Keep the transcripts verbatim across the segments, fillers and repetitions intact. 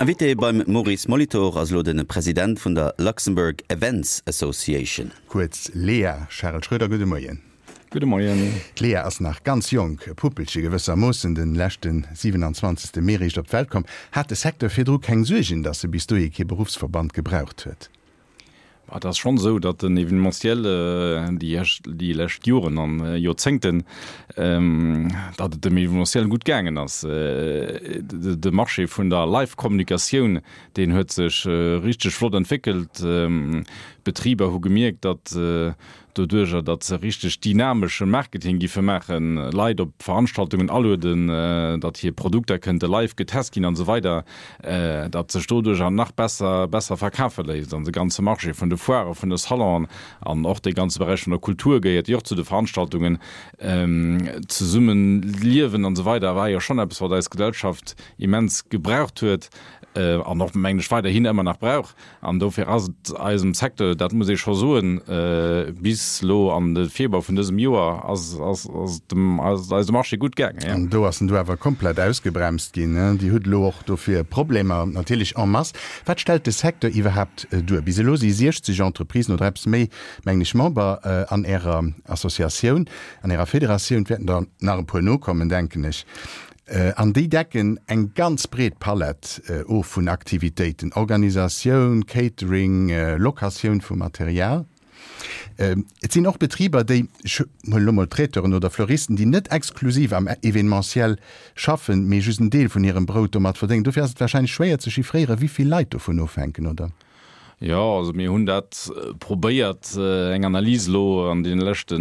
Invité beim Maurice Molitor ass elo de President vun der Luxembourg Events Association. Kuerz LEA. Charel Schroeder, gudde Moien. Gudde Moien. D'LEA ass nach ganz jonk, e Puppelche gewëssermoossen, de leschte siwenanzwanzegste Mee réischt op d'Welt komm. Hat de Secteur virdru keng Suergen, datt e bis dohi kee Beruffsverband gebraucht huet? Et ass schonn esou, datt den Événementiel déi déi lescht Joren an Joerzéngten, datt et dem Événementiel gutt gaangen ass. De Marché vun der Live-Kommunikatioun, deen huet sech richteg flott entwéckelt. D'Betriber hu gemierkt, datt doduerjer, datt se richteg dynamesche Marketing giffe maachen, Leit op Veranstaltungen alueden, datt hir Produkter kënnte live getest ginn an esou weider, datt sech doduerjer nach besser besser verkafe léisst. An de ganze Marché vun de Foiren, vun de Salonen an och dee ganze Beräich vun der Kultur gehéiert jo och zu de Veranstaltungen, Zesummeliewen an esou weider war jo schonn eppes, wat eis Gesellschaft immens gebraucht huet an och, mengen ech, weiderhin ëmmer nach brauch. An dofir ass et eisem Secteur, dat muss ee scho soen, bis elo an de Februar vun dësem Joer ass ass ass dem ass et eisem Marché gutt gaangen, jo. An do ass en du awer komplett ausgebremst ginn. Dir hutt elo och dofir Problemer natierlech en masse. Wat stellt de Secteur iwwerhaapt duer? Bis elo si siechzeg Entreprisen oder eppes méi, mengen ech, Member an Ärer Associatioun, an Ärer Federatioun. Et wäerten der nach e puer nokommen, denken ech. An déi decken eng ganz breet Palett of vun Aktivitéiten, Organisatioun, Catering, Locatioun vu Material. Et sinn och Betriber, déi, ech huelen elo mol Traiteuren oder Fleuristen, déi net exklusiv am Événementiel schaffen, mee just en Deel vun hirem Brout domat verdéngen. Dofir ass et warscheinlech schwéier ze chiffréieren, wéi vill Leit dovun ofhänken, oder? Jo, also mir hunn dat probéiert, eng Analys elo an deene leschte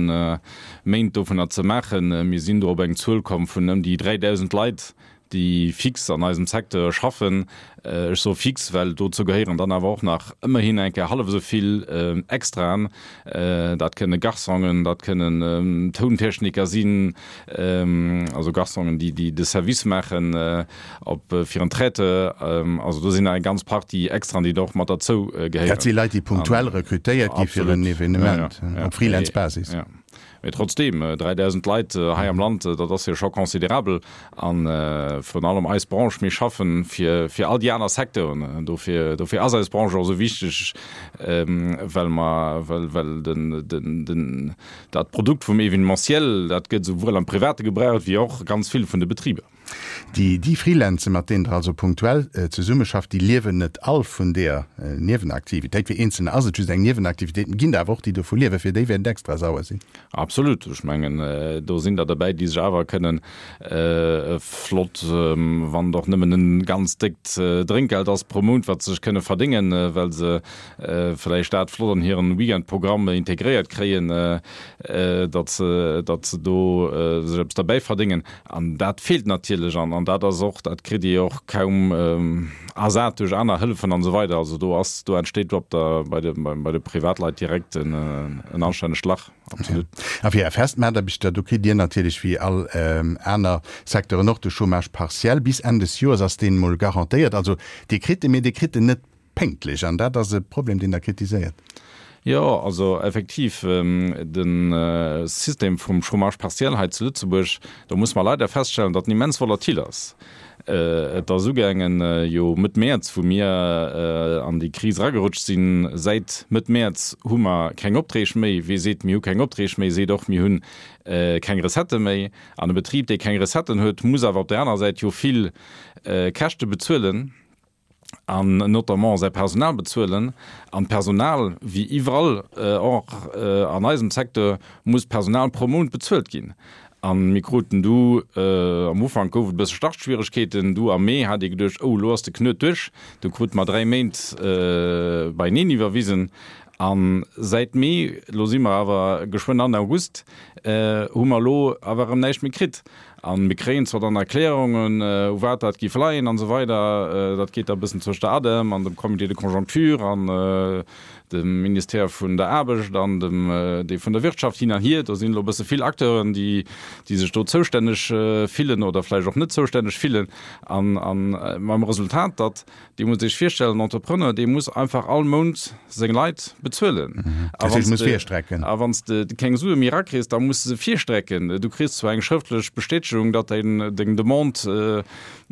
Méint dovunner ze maachen. Mir sinn do op eng Zuel komm vun ëm déi dräidausend Leit, déi fix an eisem Secteur schaffen. Ech soe fix, well dozou gehéieren dann awer och nach ëmmerhin eng Kéier hallef esou vill Extraen. Dat kënne Garçongen, dat kënnen Tountechniker sinn, also Garçongen, déi déi de Service maachen op fir en Traiteur. Also do sinn nach eng ganz Partie Extraen, déi do och mat derzou gehéieren. Dat si Leit, déi punktuell rekrutéiert gi fir en Evenement, op Freelance-Basis. Jo. Mee trotzdeem, dräidausend Leit hei am Land, dat ass jo scho considerabel. A virun allem eis Branche, mir schaffen fir fir all déi aner Secteuren. Dofir dofir ass eis Branche och esou wichteg, well mer well well den den den dat Produkt vum Événementiel, dat gëtt esouwuel am Private gebraucht wéi och ganz vill vun de Betriber. Déi déi Freelancer, mat deenen Der also punktuell zesummeschafft, déi liewen net all vun deeër Niewenaktivitéit. Fir Eenzelner ass et just eng Niewenaktivitéit, et ginn der awer och, déi dovu liewen. Fir déi wäert et extra sauer sinn. Absolut. Ech mengen, do sinn der derbäi, déi sech awer kënnen e flott, wann et och nëmmen e ganz déckt Drénkgeld ass pro Mount, wat se sech kënne verdéngen, well se vläicht dat flott an hiren Weekendprogramm integréiert kréien, datt se, datt se do sech eppes derbäi verdéngen. An dat feelt natierlech. An, an dat ass och, dat kritt Dir och kaum ersat duerch aner Hëllefen an esou weider. Also do ass, do entsteet op der, bei de, bei de Privatleit direkt en, en anstännegt Lach. Absolut. A fir Är fest Mataarbechter, do kritt Dir natierlech wéi all aner Secteuren och de Chômage partiel. Bis Enn des Joers ass deen emol garantéiert. Also Dir kritt en, mee Dir kritt en net pénktlech. An dat ass e Problem, deen Der kritiséiert. Jo, also effektiv, de System vum Chômage partiel hei zu Lëtzebuerg, do muss mer leider feststellen, datt en immens volatil ass. Et ass ugaangen jo Mëtt Mäerz, wou mir an déi Kris eragerutscht sinn. Säit Mëtt Mäerz hu mer keng Opträg méi. Wee seet, mir hu keng Opträg méi, seet och, mir hu keng Recettë méi. An e Betrib, dee keng Recetten huet, muss awer op där anerer Säit jo vill Käschte bezuelen. an notamment säi Personal bezuelen. An d'Personal, wéi iwwerall och an eisem Secteur, muss d'Personal pro Mount bezuelt ginn. A mir kruten du, am Ufank gouf et e bësse Startschwieregkeeten, du am Mee hat ee geduecht, oh elo ass de Knuet duerch, du krute mer dräi Méint beieneen iwwerwisen. A säit Mee, elo si mer awer geschwënn an August, hu mer elo awer erëm näischt méi kritt. A mir kréien zwar dann Erklärungen, u wat dat géif leien an esou weider, dat geet da e bëssen zwëscht der ADEM an dem Comité de conjoncture an dem Ministère vun der Aarbecht an dem dee vun der Wirtschaft hin an hier. Do sinn elo e bësse vill Acteuren, déi déi sech do zoustänneg fillen oder vläicht och net zoustänneg fillen. An mam Resultat, datt Dir musst Iech virstellen, en Entrepreneur, dee muss einfach all Mount seng Leit bezuelen. A wann s de, a wann s de keng Sue méi erakriss, da muss de se virstrecken. Du kriss zwar eng schrëftlech Bestätegung, datt däin, deng Demande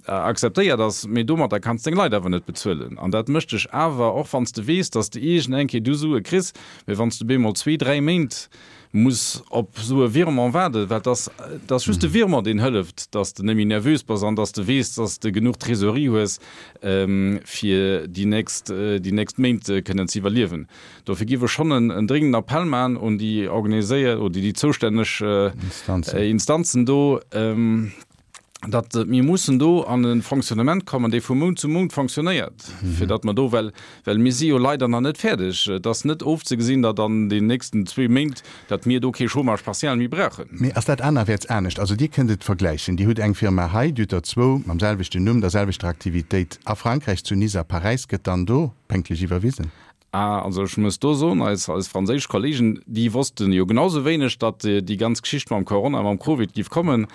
akzeptéiert ass, mee domatter kanns deng Leit awer net bezuelen. An dat mécht dech awer, och wann s de weess, dass de iergend eng Kéier du Sue kriss, mee wann s de bemol zwee, dräi Méint muss op esou e Virement waarden, well et ass, et ass just de Virement, deen hëlleft, dass de net méi nervös bass an dass de weess, dass de genuch Trésorerie hues, fir déi nächst, déi nächst Méint kënnen ze iwwerliewen. Dofir géif ech schonn en, en dringenden Appell maachen un déi organiséiert oder déi zoustänneg Instanzen do, datt mir mussen do an e Fonctionnement kommen, dee vu Mount zu Mount fonctionnéiert, fir datt mer do, well, well mir si jo leider nach net fäerdeg, et ass net ofzegesinn, datt an den nächsten zwee Méint, datt mir do kee Chômage partiel méi brauchen. Mee ass dat anerwäerts anescht? Also Dir kënnt et vergläichen, Dir hutt eng Firma hei, Dir hutt der zwou mam selwechten Numm, der selwechter Aktivitéit a Frankräich, zu Nice a Paräis. Gëtt dann do pénktlech iwwerwisen? Ah, also ech muss do soen, eis, eis franséisch Kollegen, déi wossten jo genau sou wéineg, datt déi ganz Geschicht mam Corona, mam Covid giff kommen.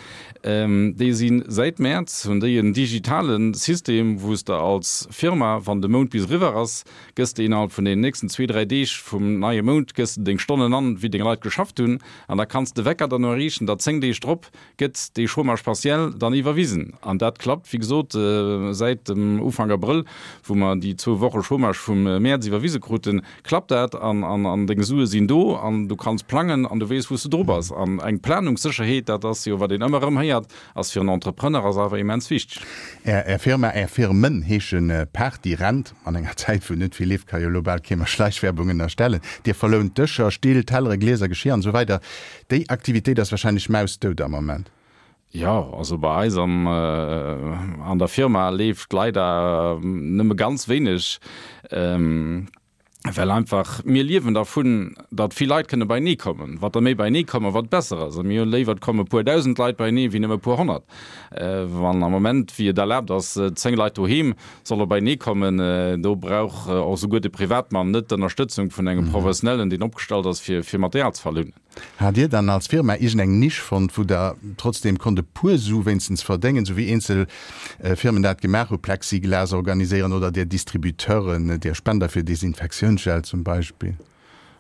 Déi si säit Mäerz, hunn déi en digitale System, wou s de als Firma, wann de Mount bis eriwwer ass, gëss de innerhalb vun deenen nächsten zwee, dräi Deeg vum neie Mount, gëss de deng Stonnen an, wéi deng Leit geschafft hunn, an da kanns de Wecker dann erreechen, datt zéng Deeg drop gëtt dee Chômage partiel dann iwwerwisen. An dat klappt, wéi gesot, säit dem Ufank Abrëll, wou mer déi zwou Woche Chômage vum Mäerz iwwerwise kruten, klappt dat an, an deng Sue sinn do an du kanns plangen an du weess, wou s de dru bass. An eng Planungssécherheet, dat ass jo, wat een ëmmer erëm héiert, ass fir en Entrepreneur ass awer immens wichteg. Är, Är Firma, Är Firmen heesche Party Rent. An enger Zäit, wou net vill leeft, ka jo elo bal kee mer Schleichwerbung ënnerstellen. Dir verlount Dëscher, Still, Tellere, Glieser, Geschir an esou weider. Déi Aktivitéit ass wahrscheinlech mausdout am Moment. Jo, also bei eis am, an der Firma leeft leider nëmme ganz wéineg, well einfach mir liewen dervun, datt vill Leit kënne beienee kommen. Wat der méi beienee kommen, wat besser ass. A mir hu léiwer, et komme puer dausend Leit beienee wéi nëmme puer honnert. Wann am Moment, wéi et erlaabt ass, zéng Leit doheem solle beienee kommen, do brauch och souguer de Privatmann net d'Ënnerstëtzung vun engem Professionellen, deen opgestallt ass, fir fir Material ze verlounen. Hat Dir dann als Firma iergend eng Nisch fonnt, wou Der trotzdem konnt e puer Su wéinstens verdéngen, sou wéi eenzel Firmen dat gemaach hu, Plexiglas organiséieren oder där Distributeuren, där Spender fir Desinfektiounsgel zum Beispill?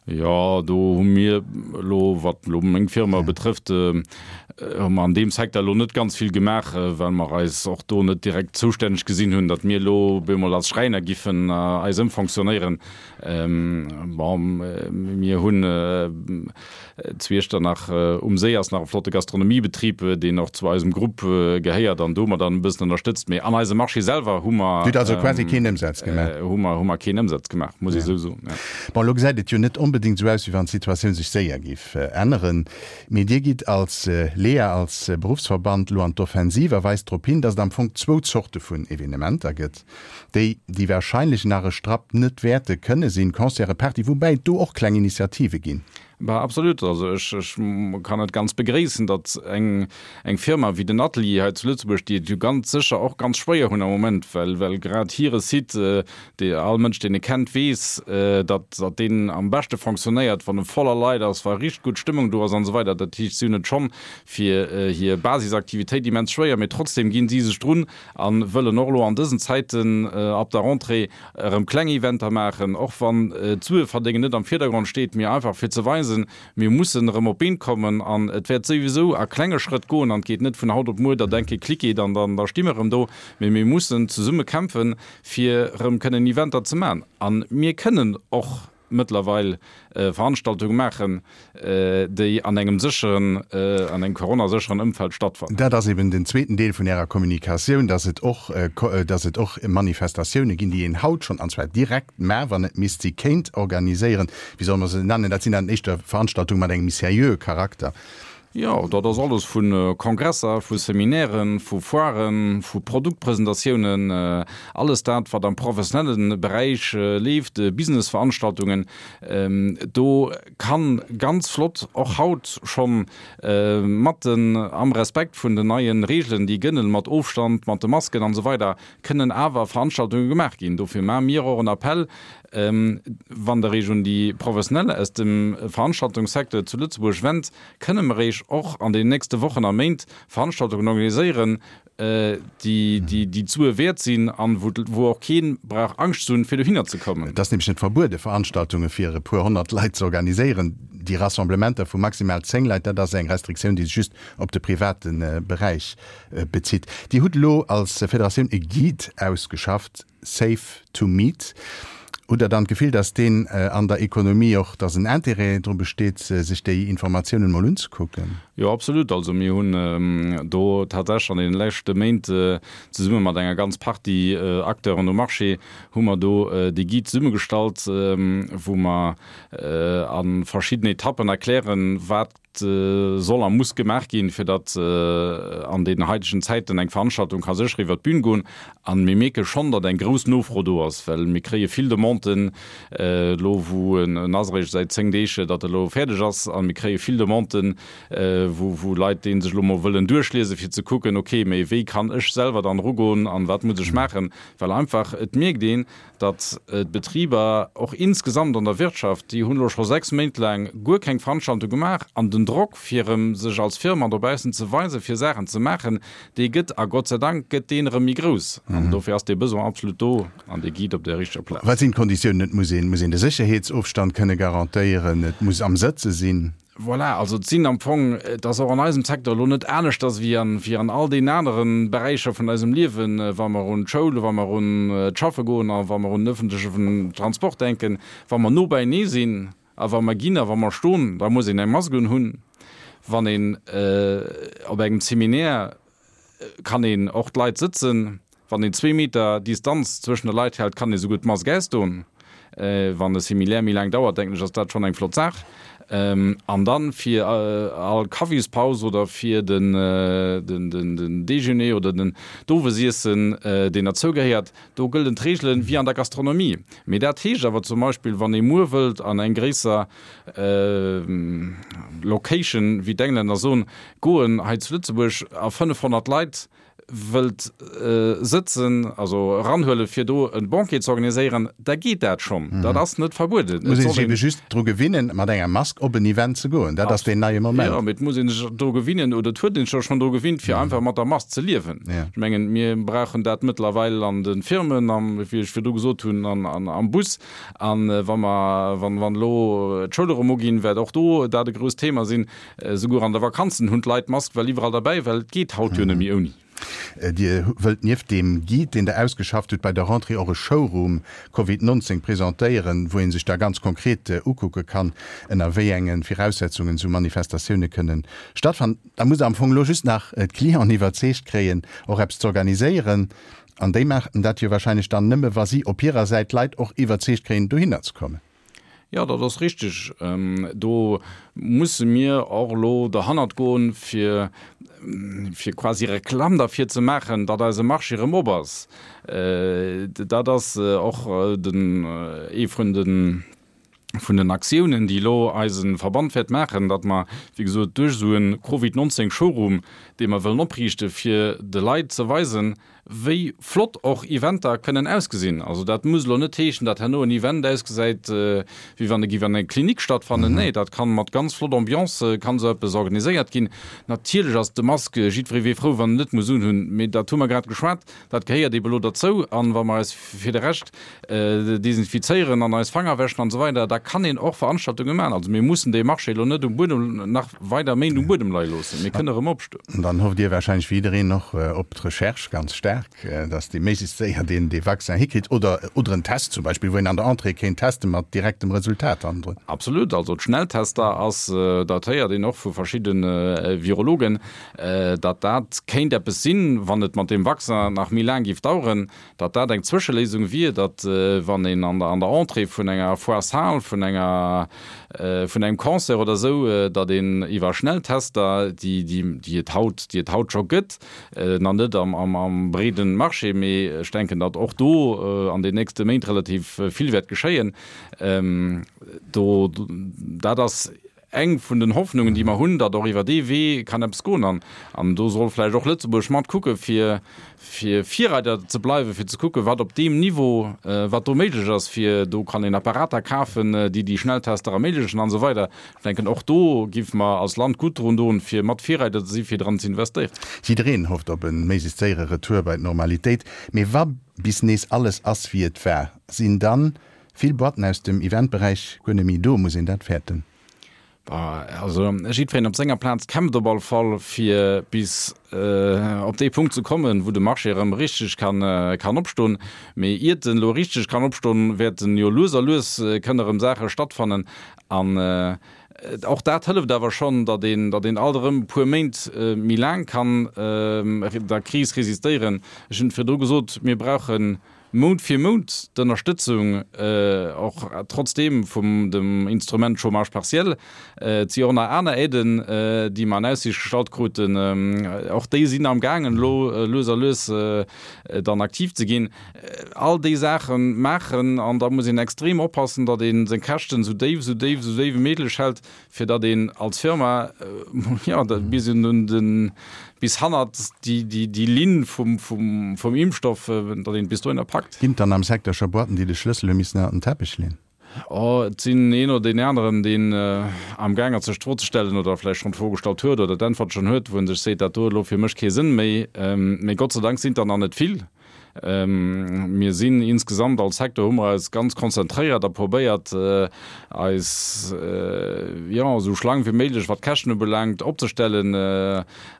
Jo, do hu mir elo, wat elo meng Firma betrëfft, hu mer an deem Secteur elo net ganz vill gemaach, well mer eis och do net direkt zoustänneg gesinn hunn, datt mir elo bemol als Schräiner giffen eis ëmfonctionnéieren. Bon, mir hunn zu Iechternach um Séi ass nach e flotte Gastronomiebetrib, deen och zu eisem Grupp gehéiert an do hu mer dann e bëssen ënnerstëtzt. Mee an eisem Marché selwer hu mer. Dir hutt also quasi keen Ëmsaz gemaach? Hu mer, hu mer keen Ëmsaz gemaach, muss ech esou soen, ja. Bon, elo gesäit et jo net onbedéngt esou aus, wéi wann d'Situatioun sech séier géif änneren. Mee Dir gitt als LEA, als Beruffsverband elo an d'Offensiv a weist drop hin, datt et am Fong zwou Zorte vun Evenementer gëtt, déi, déi wahrscheinlech nach e Strapp net wäerte kënne sinn, Concerte, Party, woubäi et do och kleng Initiative ginn. Bah, absolut. Also ech, ech kann et ganz begréissen, datt eng, eng Firma wéi den Atelier hei zu Lëtzebuerg, déi et jo ganz sécher och ganz schwéier hunn am Moment, well, well grad hire Site, dee all Mënsch, deen e kennt, weess, datt, datt deen am beschte fonctionnéiert, wann e voller Leit ass, wa richteg gutt Stëmmung do ass an esou weider. Dat heescht, si hunn et schonn fir hir Basisaktivitéit immens schwéier, mee trotzdem ginn si sech drun a wëllen och elo an dësen Zäiten ab der Rentrée erëm kleng Eventer maachen, och wann d'Sueverdéngen net am Virdergrond steet, mee einfach fir ze weisen, mir mussen erëm op d'Been kommen an et wäert souwisou a klenge Schrëtt goen an et geet net vun haut op muer, datt eng Kéier Klick geet an dann da sti mer erëm do, mee mir mussen zesumme kämpfen, fir erëm kënnen Eventer ze maachen. A mir kënnen och mëttlerweil Veranstaltunge maachen, déi an engem sécheren, an engem coronasécheren Ëmfeld stattfannen. Dat ass eben den zweeten Deel vun Ärer Kommunikatioun, dass et och, dass et och Manifestatioune ginn, déi een haut schonn, an zwar direkt mar, wann et misst si kéint organiséieren. Wéi solle mer se nennen? Dat sinn dann éischter Veranstaltunge mat engem méi seriöe Charakter. Jo, dat ass alles vu Kongresser, vu Seminairen, vu Foiren, vu Produktpresentatiounen, alles dat, wat am professionelle Beräich leeft, Businessveranstaltungen. Do ka ganz flott och haut schonn mat den, am Respekt vun den neie Regeln, déi gëllen, mat Ofstand, mat de Masken an esou weider, kënnen awer Veranstaltunge gemaach ginn. Dofir maache mir och en Appell, Wann Der Iech un déi Professionell aus dem Veranstaltungssecteur zu Lëtzebuerg wennt, kënne mer Iech och an den nächste Wochen a Méint Veranstaltungen organiséieren, déi déi déi d'Sue wäert sinn an wou wou och keen brauch Angscht ze hunn, fir dohinner ze kommen. Et ass nämlech net verbuede Veranstaltunge fir e puer honnert Leit ze organiséieren. Déi Rassemblementer vu maximal zéng Leit, dat ass eng Restriktioun, déi sech just op de private Beräich bezitt. Dir hutt elo als Federatioun e Guide ausgeschafft, Safe to meet. Hutt Der dann d'Gefill, datt deen an der Ekonomie och, datt en Intérêt dru besteet, sech déi Informatiounen emol unzekucken? Jo, absolut. Also mir hunn do tatsächlech an deene leschte Méint zesumme mat enger ganz Partie Acteuren um Marché hu mer do dee Guide zesummegestallt, wou mer a verschiddenen Etappen erklären, wat soll a muss gemaach ginn, fir datt an deenen haitegen Zäiten eng Veranstaltung ka sécher iwwert d'Bün goen. A mir mierke schonn, datt eng grouss Nofro do ass, well mir kréie vill Demanden elo, wou en ass eréischt säit zéng Deeg, datt e elo fäerdeg ass, a mir kréie vill Demanden, wou wou Leit dee sech elo mol wëllen duerchliesen, fir ze kucken, okay, mee wéi kann ech selwer dann erugoen an wat muss ech maachen? Well einfach et mierkt een, datt d'Betriber och insgesamt an der Wirtschaft, déi hunn elo scho sechs Méint laang guer keng Veranstaltung gemaach an den Drock, fir erëm sech als Firma dobaussen ze weisen, fir Saachen ze maachen, dee gëtt, a Gott sei Dank gëtt deen erëm méi grouss. An dofir ass dee Besoin absolut do an dee Guide op der richteger Plaz. Wat sinn d'Konditiounen? Et muss een, muss een de Sécherheetsofstand kënne garantéieren, et muss am Sëtze sinn. Voilà, also et sinn am Fong, et ass och an eisem Secteur elo net aneschters wéi an, wéi an all deenen anere Beräicher vun eisem Liewen, wa mer un d'Schoul, wa mer un d'Schaffe goen a wa mer un den öffentlechen Transport denken, wa mer no beienee sinn a wa mer ginn a wa mer stoen, da muss een eng Mask unhunn. Wann een op engem Seminaire kann een och d'Leit sëtzen. Wann een zwee Meter Distanz zwëschen de Leit hält, kann ee souguer d'Mask ausdoen. Wann e Seminaire méi laang dauert, denken ech, ass dat schonn eng flott Saach. An dann fir all Kaffispaus oder fir den Déjeuner oder den d'Owesiessen, deen derzou gehéiert, do gëllen d'Reegelen wéi an der Gastronomie. Mee dat heescht awer zum Beispill, wann ee muer wëllt an eng gréisser Location, wéi d'Englänner soen, goen hei zu Lëtzebuerg a fënnefhonnert Leit wëllt sëtzen, also eranhuelen, fir do e Banquet ze organiséieren, da geet dat schonn. Dat ass net verbueden. Et muss ee sech ebe just dru gewinnen, mat enger Mask op en Event ze goen. Dat ass deen neie Moment. Jo, mee et muss ee sech dru gewinnen, oder et huet een sech schonn dru gewinnt, fir einfach mat der Mask ze liewen. Ech mengen, mir brauchen dat mëttlerweil an de Firmen, am, wéi ech virdu gesot hunn, am Bus. A wa mer, wann, wann elo d'Schoule erëm uginn, wäert och do dat e grousst Thema sinn. Souguer an de Vakanzen hunn d'Leit d'Mask well iwwerall derbäi, well et geet haut jo net méi ouni. Dir wëllt nieft deem Guide, deen Der ausgeschafft hutt, bei der Rentrée och e Showroom Covid nonzéng presentéieren, wou ee sech da ganz konkret ukucke kann, ënner wéi enge Viraussetzungen esou Manifestatioune kënnen stattfannen. Da musst Der am Fong elo just nach d'Clienten iwwerzeegt kréien, och eppes z'organiséieren. An déi maachen dat jo wahrscheinlech dann nëmme, wa si op hirer Säit d'Leit och iwwerzeegt kréien, dohinner ze kommen. Jo, dat ass richtig. Do musse mir och elo derhannert goen, fir, fir quasi Reklamm derfir ze maachen, datt eise Marché erëm op ass. Dat ass och den, ee vun den, vun den Aktiounen, déi elo eise Verband wäert maachen, datt mer, wéi gesot, duerch esou e Covid nonzéng Showroom, dee mer wëllen opriichten, fir de Leit ze weisen, wéi flott och Eventer kënnen ausgesinn. Also dat muss elo net heeschen, datt herno en Event ausgesäit, wéi wann e géif an enger Klinik stattfannen. Nee, dat kann mat ganz flott Ambiance kann esou eppes organiséiert ginn. Natierlech ass de Masque, jiddweree wier frou, wann en net muss unhunn, mee dat hu mer grad geschwat, dat gehéiert eebe elo derzou. An wa mer eis fir de Rescht desinfizéieren an eis Fanger wäschen an esou weider, da kann een och Veranstaltunge maachen. Also mir mussen dee Marché elo net um Buedem nach weider Méint um Buedem leie loossen. Mir kënne erëm opstoen. An dann hofft Dir wahrscheinlech wéi jiddereen och op d'Recherche ganz staark, dass déi méiglechst séier deen dee Vaccin hikritt oder oder en Test zum Beispill, wou een an der Entrée kéint teste mat direktem Resultat hannendrun. Absolut. Also d'Schnelltester ass, dat héiert een och vu verschidde Virologen, datt dat kéint eppes sinn, wann et mat deem Vaccin nach méi laang géif daueren, datt dat eng Zwëscheléisung wier, datt wann een an der an der Entrée vun enger Foire Salle, vun enger vun engem Concert oder esou, datt een iwwer Schnelltester, déi déi déi et haut déi et haut scho gëtt, nach net am am am breeden Marché, mee ech denken, datt och do an den nächste Méint relativ vill wäert geschéien, do dat ass eng vun den Hoffnungen, déi mer hunn, datt och iwwer dee Wee kann eppes goen. An, an do soll vläicht och Lëtzebuerg mat kucke fir, fir Virreider ze bleiwen, fir ze kucke wat op deem Niveau, wat do méiglech ass, fir do kann een Apparater kafen, déi déi Schnelltester erméiglechen an esou weider. Ech denken, och do géife mer als Land gutt drun doen, fir mat Virreider ze si fir dran ze investéieren. Jiddereen hofft op e méiglechst séiere Retour bei d'Normalitéit. Mee wa bis nees alles ass wéi et war, sinn dann vill Boîten aus dem Eventberäich guer net méi do? Muss een dat fäerten? Also jiddwereen op senger Plaz kämpft op alle Fall fir bis op dee Punkt ze kommen, wou de Marché erëm richteg kann kann opstoen. Mee iert en elo richteg kann opstoen, wäerten jo lues a lues kënne erëm Saache stattfannen. An och dat hëlleft awer schonn, datt een datt een alt erëm e puer Méint méi laang kann der Kris resistéieren. Ech hunn et virdru gesot, mir brauchen Mount fir Mount d'Ënnerstëtzung, och trotzdeem vum dem Instrument Chômage partiel. Et si och nach aner Aiden, déi mer an Aussiicht gestallt kruten. Och déi sinn am gaangen elo lues a lues dann aktiv ze ginn. All déi Saache maachen, an da muss een extrem oppassen, datt ee seng Käschten esou déif, esou déif, esou déif wéi méiglech hält, fir datt een als Firma, jo, bis un den, bis hannert déi, déi, déi Linn vum, vum, vum Impfstoff, datt een et bis dohinner packt. Ginn et dann am Secteur scho Boîten, déi de Schlëssel hu missen ënnert den Teppech leeën? Oh, et sinn een oder deen aneren, deen amgaang ass sech d'Fro ze stellen oder vläicht schonn d'Fro gestallt huet oder d'Äntwert schonn huet, wou en sech seet, dat do huet elo fir mech kee Sënn méi. Mee Gott sei Dank sinn et der nach net vill. Mir sinn insgesamt als Secteur, hu mer eis ganz konzentréiert a probéiert, eis, jo, esou schlank wéi méiglech, wat d'Käschten ubelaangt, opzestellen.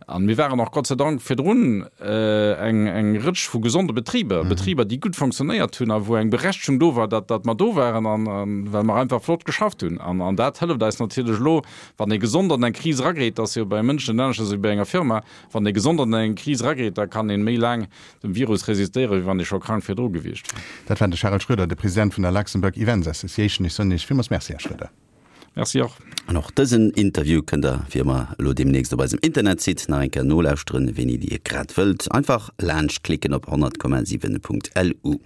A mir waren och Gott sei Dank virdrun eng, eng Rëtsch vu gesonde Betriber, Betriber, déi gutt fonctionnéiert hunn a wou eng Berechtegung do war, datt, datt mer do waren an, well mer einfach flott geschafft hunn. An, an dat hëlleft eis natierlech elo, wann ee gesond an eng Kris erageet, dat ass jo bei Mënschen net aneschters wéi bei enger Firma, wann ee gesond an eng Kris erageet, da kann ee méi laang dem Virus resistéieren, wéi wann ee scho krank virdru gewiescht wier. Dat war de Charel Schroeder, de President vun der Luxembourg Events Association. Ech soen Iech villmools Merci, Här Schroeder. Merci och. An och dësen Interview kënnt der wéi ëmmer elo deemnächst op eisem Internetsite nach eng Kéier nolauschteren, wéini Dir grad wëllt. Einfach laanscht klicken op honnert Komma siwen Punkt lu.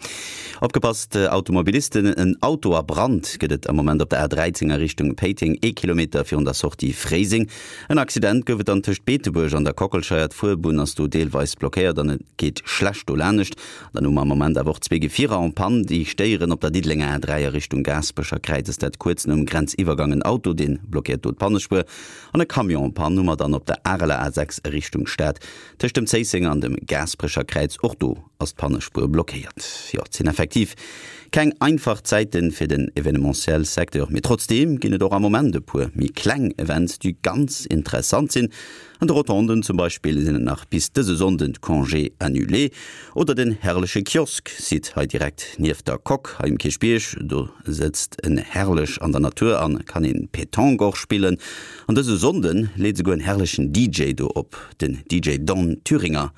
Opgepasst Automobilisten, En Auto a Brand gëtt et am Moment op der A dräizéng a Richtung Péiteng, ee Kilometer virun der Sortie Fréiseng. En Accident gouf et dann tëscht Beetebuerg an der Kockelscheier. D'Fuerbunn ass do deelweis blockéiert an et geet schlecht dolaanescht. Dann hu mer am Moment awer och zwee Gefierer en panne, déi stéieren op der Diddelenger A dräi a Richtung Gaasperecher Kräiz ass dat kuerz nom Grenziwwergang. En Auto, dee blockéiert do d'Pannespuer an e Camion en panne hu mer dann op der Areler A sechs a Richtung Stad tëscht dem Zéissenger an dem Gaasperecher Kräiz. Och do ass d'Pannespuer blockéiert. Jo, et sinn effektiv keng einfach Zäite fir den Evenementiel Secteur, mee trotzdeem ginn et och am Moment e puer méi kleng Events, déi ganz interessant sinn. An de Rotonden zum Beispill sinn et nach bis dëse Sonnden d'Congés annulés. Oder den herrleche Kiosk, Site hei direkt nieft der Coque hei um Kierchbierg. Do sëtzt en herrlech an der Natur an kann een Pétanque och spillen. An dëse Sonnden leet esouguer en herrlechen D J do op, den D J Don Thüringer.